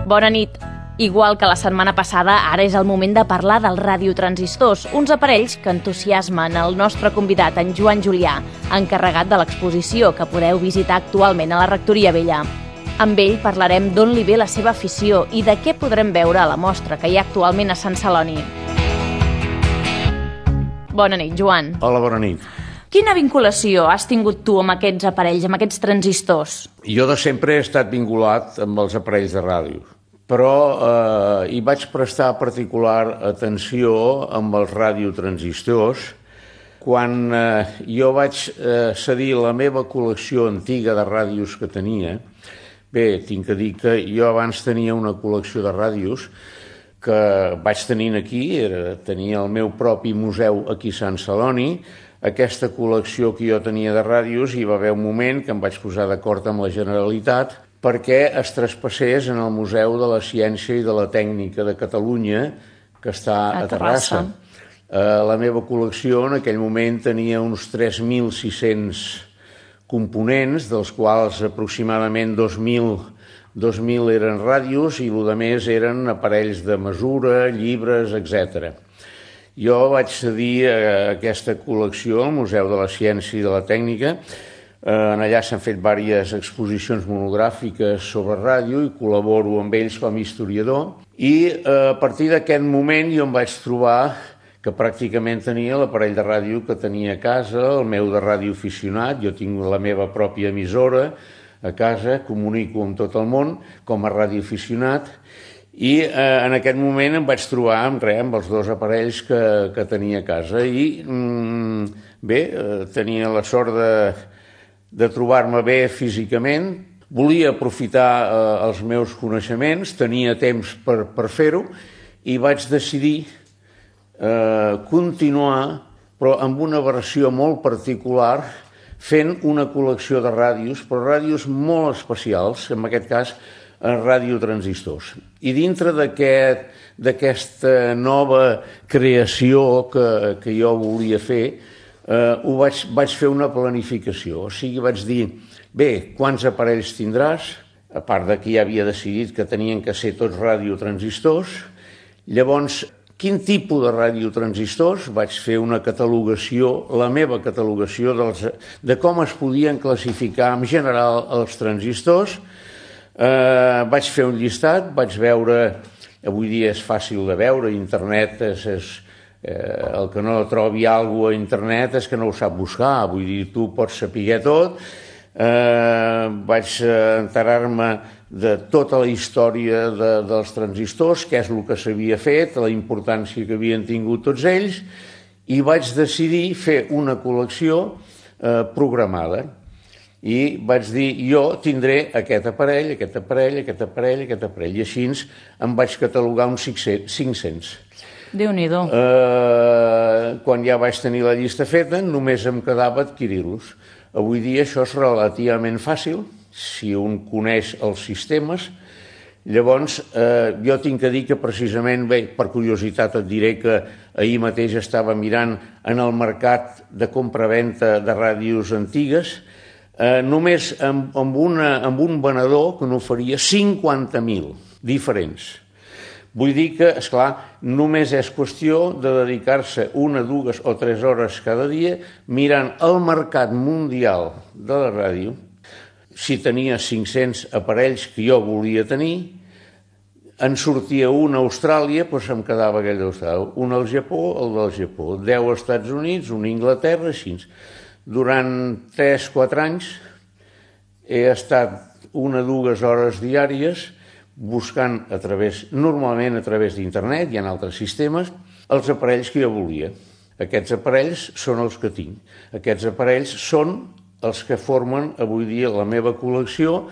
Bona nit. Igual que la setmana passada, ara és el moment de parlar dels radiotransistors, uns aparells que entusiasmen el nostre convidat, en Joan Julià, encarregat de l'exposició que podeu visitar actualment a la Rectoria Vella. Amb ell parlarem d'on li ve la seva afició i de què podrem veure a la mostra que hi ha actualment a Sant Celoni. Bona nit, Joan. Hola, bona nit. Quina vinculació has tingut tu amb aquests aparells, amb aquests transistors? Jo de sempre he estat vinculat amb els aparells de ràdio, però hi vaig prestar particular atenció amb els radiotransistors quan jo vaig cedir la meva col·lecció antiga de ràdios que tenia. Bé, tinc que dir que jo abans tenia una col·lecció de ràdios que vaig tenint aquí, tenia el meu propi museu aquí a Sant Celoni. Aquesta col·lecció que jo tenia de ràdios, hi va haver un moment que em vaig posar d'acord amb la Generalitat perquè es traspassés en el Museu de la Ciència i de la Tècnica de Catalunya, que està a Terrassa. La meva col·lecció en aquell moment tenia uns 3.600 components, dels quals aproximadament 2.000 eren ràdios i el més eren aparells de mesura, llibres, etc. Jo vaig cedir a aquesta col·lecció al Museu de la Ciència i de la Tècnica. Allà s'han fet diverses exposicions monogràfiques sobre ràdio i col·laboro amb ells com a historiador. I a partir d'aquest moment jo em vaig trobar que pràcticament tenia l'aparell de ràdio que tenia a casa, el meu de radioaficionat. Jo tinc la meva pròpia emissora a casa, comunico amb tot el món com a radioaficionat. I en aquest moment em vaig trobar amb els dos aparells que tenia a casa i bé, tenia la sort de trobar-me bé físicament. Volia aprofitar els meus coneixements, tenia temps per fer-ho i vaig decidir continuar, però amb una versió molt particular, fent una col·lecció de ràdios, però ràdios molt especials, en aquest cas radiotransistors. I dintre d'aquesta nova creació que jo volia fer, vaig fer una planificació. O sigui, vaig dir, bé, quants aparells tindràs? A part de que ja havia decidit que tenien que ser tots radiotransistors. Llavors, quin tipus de radiotransistors? Vaig fer una catalogació, la meva catalogació de com es podien classificar en general els transistors. Vaig fer un llistat, vaig veure, avui dia és fàcil de veure, internet el que no trobi alguna cosa a internet és que no ho sap buscar, vull dir, tu pots saber tot. Vaig enterar-me de tota la història dels transistors, què és el que s'havia fet, la importància que havien tingut tots ells, i vaig decidir fer una col·lecció programada. I vaig dir, jo tindré aquest aparell, aquest aparell, aquest aparell, aquest aparell, i així em vaig catalogar uns 500. Déu-n'hi-do. Quan ja vaig tenir la llista feta, només em quedava adquirir-los. Avui dia això és relativament fàcil, si un coneix els sistemes. Llavors, jo tinc que dir que precisament, bé, per curiositat et diré que ahir mateix estava mirant en el mercat de compra-venta de ràdios antigues, només amb un venedor que n'oferia 50.000 diferents. Vull dir que, esclar, només és qüestió de dedicar-se 1, 2 o 3 hores cada dia mirant el mercat mundial de la ràdio. Si tenia 500 aparells que jo volia tenir, en sortia un a Austràlia, doncs em quedava aquell d'Austràlia, un al Japó, el del Japó, 10 als Estats Units, un a Anglaterra, així. Durant 3-4 anys he estat 1 o 2 hores diàries buscant normalment a través d'internet, hi ha altres sistemes, els aparells que jo volia. Aquests aparells són els que tinc. Aquests aparells són els que formen avui dia la meva col·lecció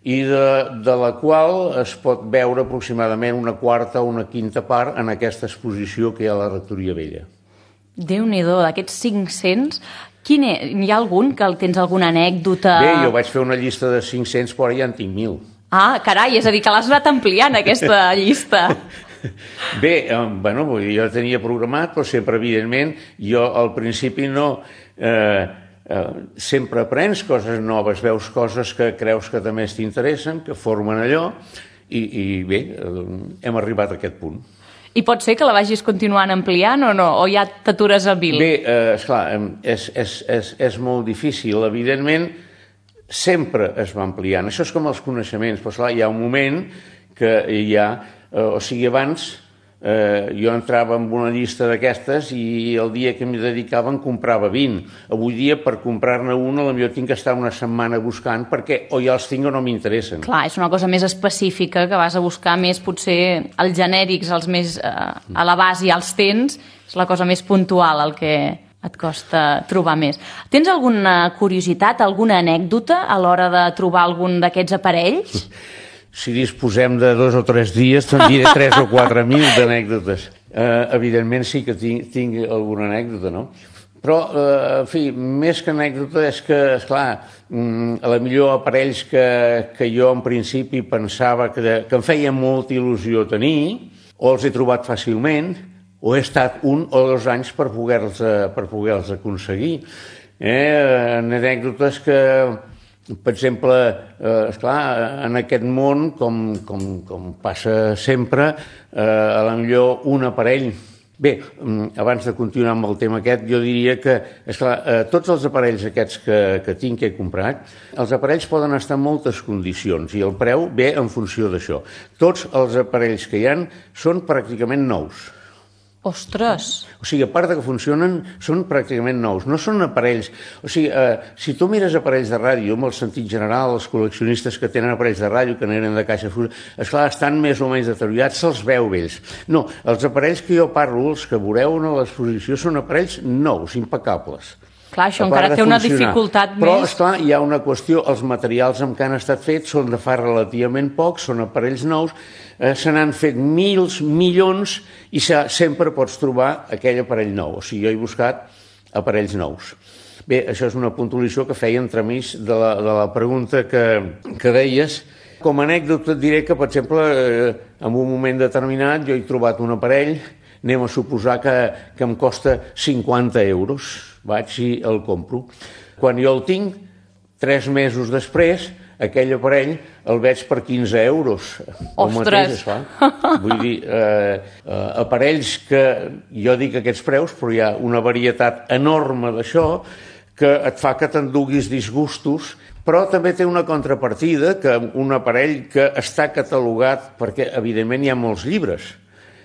i de la qual es pot veure aproximadament una quarta o una quinta part en aquesta exposició que hi ha a la Rectoria Vella. Déu-n'hi-do, d'aquests 500... Hi ha algun que tens alguna anècdota? Bé, jo vaig fer una llista de 500, però ja en tinc 1.000. Ah, carai, és a dir, que l'has anat ampliant, aquesta llista. Bé, bueno, jo tenia programat, però sempre, evidentment, jo al principi no... sempre aprens coses noves, veus coses que creus que també t'interessen, que formen allò, I bé, hem arribat a aquest punt. I pot ser que la vagis continuant ampliant o no? O ja t'atures a 1000? Bé, esclar, és molt difícil. Evidentment, sempre es va ampliant. Això és com els coneixements. Però, esclar, hi ha un moment que hi ha... O sigui, abans jo entrava en una llista d'aquestes i el dia que m'hi dedicava en comprava 20. Avui dia, per comprar-ne una, potser tinc que estar una setmana buscant perquè o ja els tinc o no m'interessen. Clar, és una cosa més específica, que vas a buscar més, potser, els genèrics, els més a la base ja els tens, és la cosa més puntual el que et costa trobar més. Tens alguna curiositat, alguna anècdota a l'hora de trobar algun d'aquests aparells? Si disposem de 2 o 3 dies, te'n diré 3 o 4.000 d'anècdotes. Evidentment sí que tinc alguna anècdota, no? Però, en fi, més que anècdota és que, esclar, a la millor aparells que jo en principi pensava que em feia molta il·lusió tenir, o els he trobat fàcilment, o he estat 1 o 2 anys per poder-los aconseguir. Anècdotes que... Per exemple, esclar, en aquest món, com passa sempre, a la millor un aparell... Bé, abans de continuar amb el tema aquest, jo diria que, esclar, tots els aparells aquests que tinc, que he comprat, els aparells poden estar en moltes condicions i el preu ve en funció d'això. Tots els aparells que hi ha són pràcticament nous. Ostres! O sigui, a part de que funcionen, són pràcticament nous. No són aparells... O sigui, si tu mires aparells de ràdio, amb el sentit general, els col·leccionistes que tenen aparells de ràdio, que n'eren de caixa fusta, esclar, estan més o menys deteriorats, se'ls veu vells. No, els aparells que jo parlo, els que veureu a l'exposició, són aparells nous, impecables. Clar, això encara té una dificultat més. Però, esclar, hi ha una qüestió. Els materials amb què han estat fets són de fa relativament poc, són aparells nous, se n'han fet milions, i sempre pots trobar aquell aparell nou. O sigui, jo he buscat aparells nous. Bé, això és una puntualització que feia entremig de la pregunta que deies. Com a anècdota et diré que, per exemple, en un moment determinat jo he trobat un aparell, anem a suposar que em costa 50 euros. Vaig i el compro. Quan jo el tinc, 3 mesos després, aquell aparell el veig per 15 euros. Ostres! Vull dir, aparells que jo dic aquests preus, però hi ha una varietat enorme d'això que et fa que t'enduguis disgustos, però també té una contrapartida, que un aparell que està catalogat, perquè evidentment hi ha molts llibres.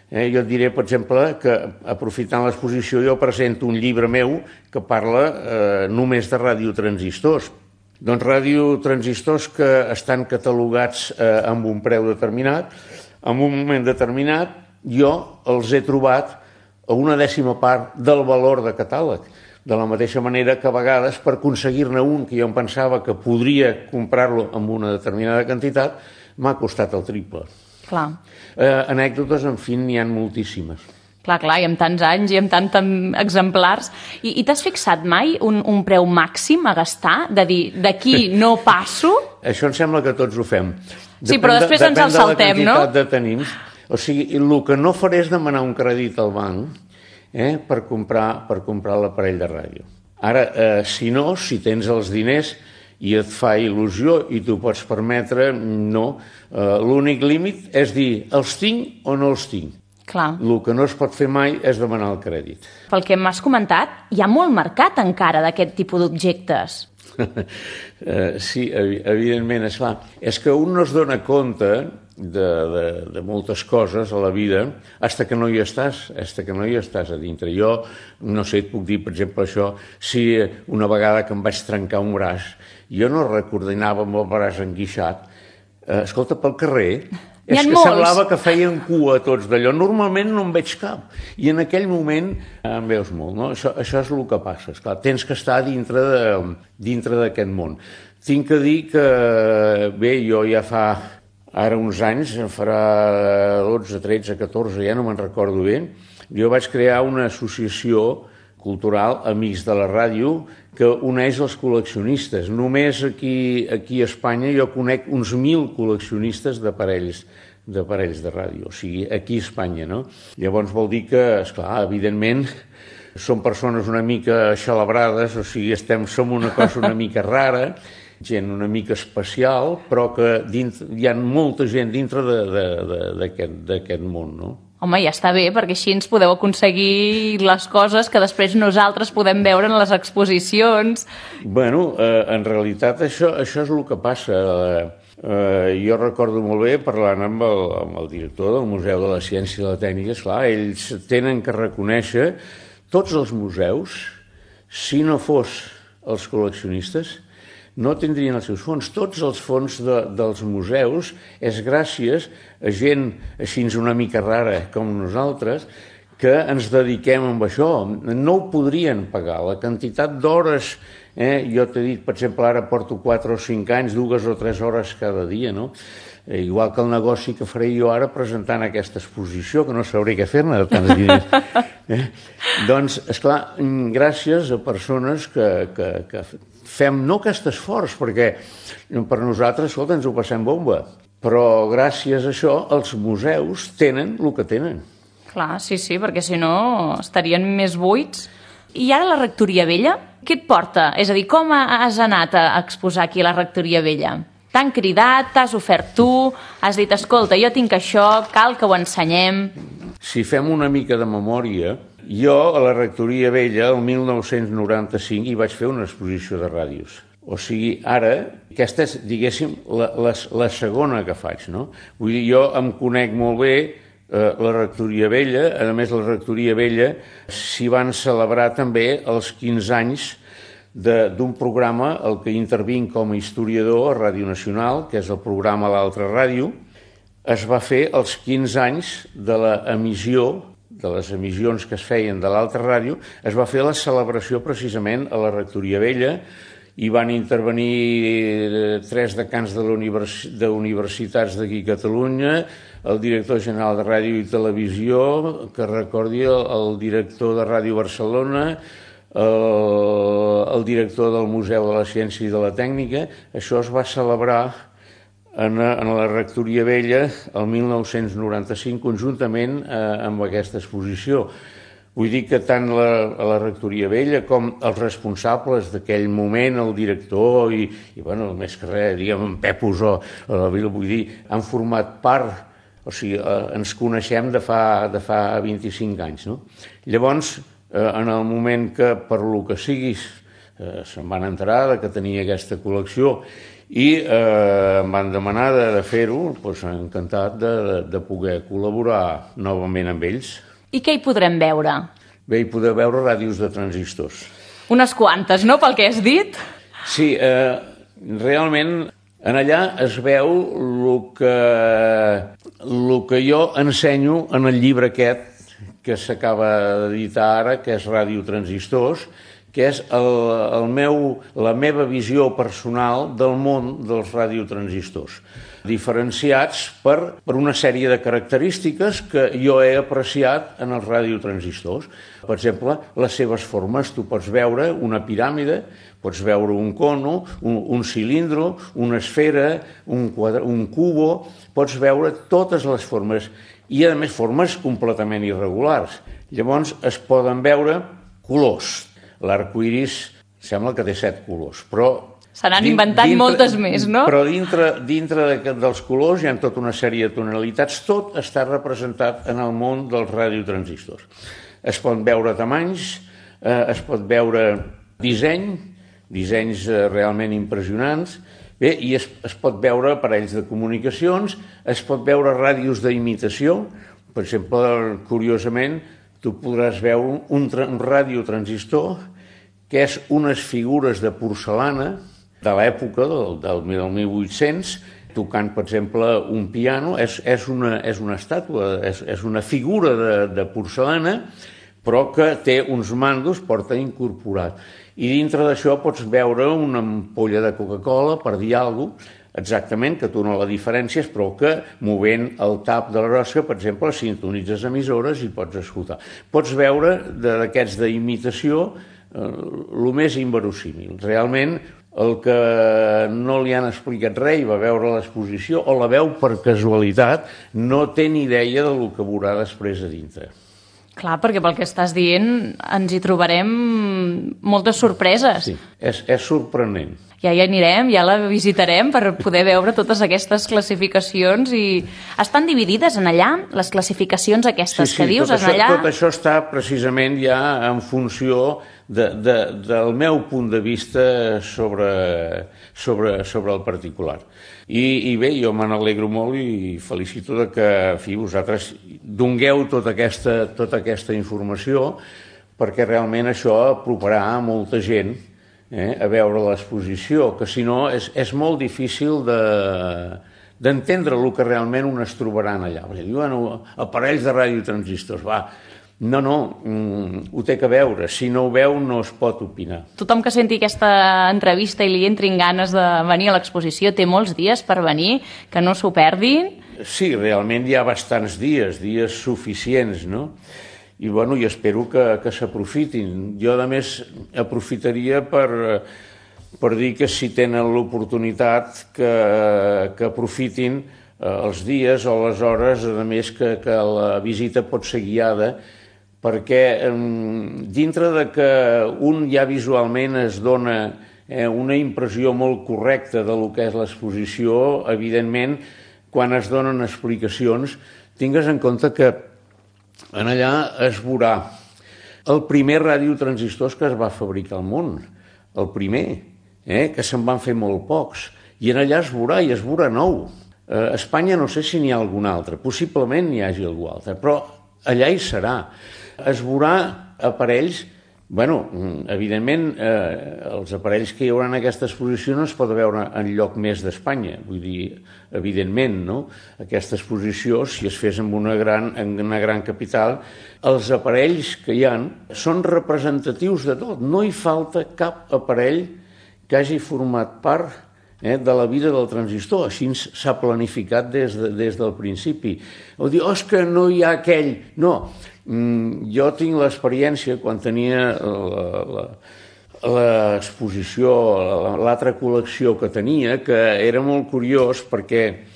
Jo et diré, per exemple, que aprofitant l'exposició jo presento un llibre meu que parla només de radiotransistors. Doncs radiotransistors que estan catalogats amb un preu determinat, en un moment determinat jo els he trobat a una 10ª part del valor de catàleg. De la mateixa manera que a vegades per aconseguir-ne un que jo em pensava que podria comprar-lo amb una determinada quantitat m'ha costat el triple. Clar. Anècdotes, en fi, n'hi ha moltíssimes. Clar, i amb tants anys i amb tants exemplars. I t'has fixat mai un preu màxim a gastar? De dir, d'aquí no passo? Això em sembla que tots ho fem. Sí, però després ens el saltem, no? Depèn de la quantitat de tenim. O sigui, el que no faré és demanar un crèdit al banc per comprar l'aparell de ràdio. Ara, si tens els diners i et fa il·lusió i t'ho pots permetre, no. L'únic límit és dir, els tinc o no els tinc. Clar. El que no es pot fer mai és demanar el crèdit. Pel que m'has comentat, hi ha molt mercat encara d'aquest tipus d'objectes. Sí, evidentment, esclar. És que un no es dona compte de moltes coses a la vida fins que no hi estàs, a dintre. Jo, no sé, et puc dir, per exemple, això, si una vegada que em vaig trencar un braç, jo no recordinava amb el braç enguixat. Escolta, pel carrer, és que semblava que feien cua tots d'allò. Normalment no en veig cap. I en aquell moment en veus molt, no? Això és el que passa. Esclar, tens que estar dintre d'aquest món. Tinc que dir que, bé, jo ja fa ara uns anys, farà 12, 13, 14, ja no me'n recordo bé, jo vaig crear una associació cultural, Amics de la Ràdio, que uneix els col·leccionistes. Només aquí a Espanya jo conec uns 1.000 col·leccionistes d'aparells de ràdio, o sigui, aquí a Espanya, no? Llavors vol dir que, esclar, evidentment, som persones una mica xalabrades, o sigui, som una cosa una mica rara, gent una mica especial, però que hi ha molta gent dintre d'aquest món, no? Home, ja està bé, perquè així ens podeu aconseguir les coses que després nosaltres podem veure en les exposicions. Bueno, en realitat això és el que passa. Jo recordo molt bé, parlant amb el director del Museu de la Ciència i de la Tècnica, esclar, ells tenen que reconèixer tots els museus, si no fos els col·leccionistes, no tindrien els seus fons. Tots els fons dels museus és gràcies a gent així una mica rara com nosaltres que ens dediquem amb això. No ho podrien pagar. La quantitat d'hores, jo t'he dit, per exemple, ara porto 4 o 5 anys, 2 o 3 hores cada dia, no? Igual que el negoci que faré jo ara presentant aquesta exposició, que no sabré què fer-ne de tants diners. Doncs, esclar, gràcies a persones que fem no aquest esforç, perquè per nosaltres, escolta, ens ho passem bomba, però gràcies a això els museus tenen el que tenen. Clar, sí, perquè si no estarien més buits. I ara la Rectoria Vella, què et porta? És a dir, com has anat a exposar aquí a la Rectoria Vella? T'han cridat, t'has ofert tu, has dit, escolta, jo tinc això, cal que ho ensenyem. Si fem una mica de memòria, jo a la Rectoria Vella, el 1995, hi vaig fer una exposició de ràdios. O sigui, ara, aquesta és, diguéssim, la segona que faig, no? Vull dir, jo em conec molt bé la Rectoria Vella. A més, la Rectoria Vella s'hi van celebrar també els 15 anys d'un programa el que intervinc com a historiador a Ràdio Nacional, que és el programa L'Altra Ràdio. Es va fer els 15 anys de l'emissió, de les emissions que es feien de l'Altra Ràdio, es va fer la celebració precisament a la Rectoria Vella. Hi van intervenir 3 decans d'universitats d'aquí a Catalunya, el director general de Ràdio i Televisió, que recordi el director de Ràdio Barcelona, el director del Museu de la Ciència i de la Tècnica. Això es va celebrar en la Rectoria Vella el 1995 conjuntament amb aquesta exposició. Vull dir que tant a la Rectoria Vella com els responsables d'aquell moment, el director i bueno, més que res, diguem, en Pep Usó, vull dir, han format part, o sigui, ens coneixem de fa 25 anys, no? Llavors, en el moment que, per lo que siguis, se'n van enterar que tenia aquesta col·lecció i em van demanar de fer-ho, doncs encantat de poder col·laborar novament amb ells. I què hi podrem veure? Bé, hi podeu veure ràdios de transistors. Unes quantes, no?, pel que has dit? Sí, realment en allà es veu el que jo ensenyo en el llibre aquest que s'acaba d'editar ara, que és Ràdio Transistors, que és la meva visió personal del món dels radiotransistors, diferenciats per una sèrie de característiques que jo he apreciat en els radiotransistors. Per exemple, les seves formes. Tu pots veure una piràmide, pots veure un cono, un cilindro, una esfera, un cubo, pots veure totes les formes i, a més, formes completament irregulars. Llavors es poden veure colors. L'arcoiris sembla que té 7 colors, però se n'han inventat moltes més, no? Però dintre dels colors hi ha tota una sèrie de tonalitats. Tot està representat en el món dels radiotransistors. Es poden veure tamanys, es pot veure dissenys realment impressionants, bé, i es pot veure aparells de comunicacions, es pot veure ràdios d'imitació. Per exemple, curiosament, tu podràs veure un radiotransistor que és unes figures de porcellana de l'època del 1800, tocant, per exemple, un piano. És una estàtua, és una figura de porcellana, però que té uns mandos, porta incorporat. I dintre d'això pots veure una ampolla de Coca-Cola, per dir alguna cosa, exactament, que tu no la diferències, però que movent el tap de la rosca, per exemple, sintonitzes emissores i pots escoltar. Pots veure d'aquests d'imitació el més inverosímil. Realment, el que no li han explicat res i va veure l'exposició o la veu per casualitat no té ni idea del que veurà després a dintre. Clar, perquè pel que estàs dient ens hi trobarem moltes sorpreses. Sí, és sorprenent. Ja hi anirem, ja la visitarem per poder veure totes aquestes classificacions i estan dividides en allà, les classificacions aquestes que dius, en allà... Tot això està precisament ja en funció del meu punt de vista sobre el particular. I bé, jo me n'alegro molt i felicito que vosaltres dongueu tota aquesta informació perquè realment això aproparà a molta gent a veure l'exposició, que si no és molt difícil d'entendre el que realment un es trobaran allà. Diuen aparells de radiotransistors, no, ho té que veure, si no ho veu no es pot opinar. Tothom que senti aquesta entrevista i li entrin ganes de venir a l'exposició té molts dies per venir, que no s'ho perdin. Sí, realment hi ha bastants dies suficients, no? I bueno, jo espero que s'aprofitin. Jo, a més, aprofitaria per dir que si tenen l'oportunitat que aprofitin els dies o les hores, a més que la visita pot ser guiada, perquè dintre de que un ja visualment es dona una impressió molt correcta de lo que és l'exposició, evidentment, quan es donen explicacions, tingues en compte que en allà es veurà el primer radiotransistors que es va fabricar al món, el primer, que se'n van fer molt pocs, i en allà es veurà nou. A Espanya no sé si n'hi ha algun altre, possiblement n'hi hagi algú altre, però allà hi serà. Es veurà aparells, evidentment els aparells que hi haurà en aquesta exposició no es pot veure en lloc més d'Espanya, vull dir, evidentment, no? Aquesta exposició, si es fes en una gran capital, els aparells que hi ha són representatius de tot, no hi falta cap aparell que hagi format part de la vida del transistor, així s'ha planificat des del principi. O dir, és que no hi ha aquell... No, jo tinc l'experiència, quan tenia l'exposició, l'altra col·lecció que tenia, que era molt curiós perquè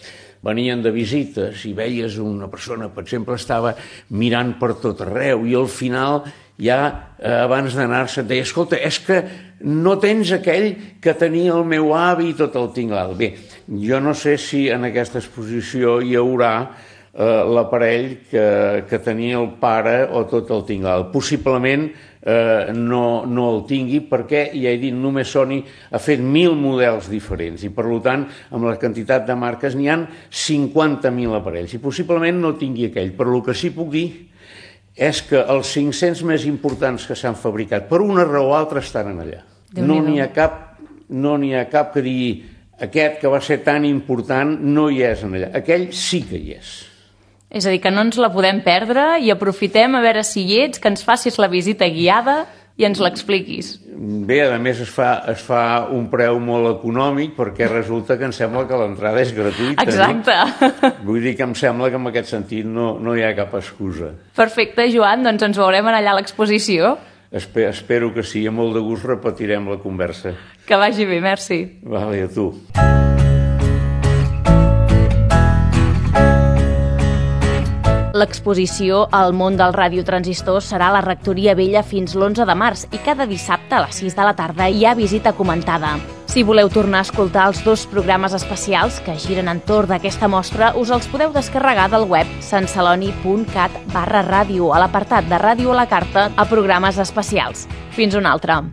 venien de visites i veies una persona, per exemple, estava mirant per tot arreu i al final ja abans d'anar-se et deia, escolta, és que no tens aquell que tenia el meu avi i tot el tinglal. Bé, jo no sé si en aquesta exposició hi haurà l'aparell que tenia el pare o tot el tinglal. Possiblement no el tingui perquè, ja he dit, només Sony ha fet 1.000 models diferents i per tant amb la quantitat de marques n'hi ha 50.000 aparells i possiblement no tingui aquell, però el que sí puc dir és que els 500 més importants que s'han fabricat per una raó o altra estan allà. No n'hi ha cap que digui aquest que va ser tan important no hi és allà, aquell sí que hi és. És a dir, que no ens la podem perdre i aprofitem a veure si hi ets, que ens facis la visita guiada i ens l'expliquis. Bé, a més es fa un preu molt econòmic perquè resulta que em sembla que l'entrada és gratuïta. Exacte. No? Vull dir que em sembla que en aquest sentit no hi ha cap excusa. Perfecte, Joan, doncs ens veurem allà a l'exposició. Espero que sí, amb molt de gust repetirem la conversa. Que vagi bé, merci. Vale, a tu. L'exposició al món del radiotransistor serà a la Rectoria Vella fins l'11 de març i cada dissabte a les 6 de la tarda hi ha visita comentada. Si voleu tornar a escoltar els 2 programes especials que giren entorn d'aquesta mostra, us els podeu descarregar del web santceloni.cat/ràdio a l'apartat de Ràdio a la carta a programes especials. Fins una altra.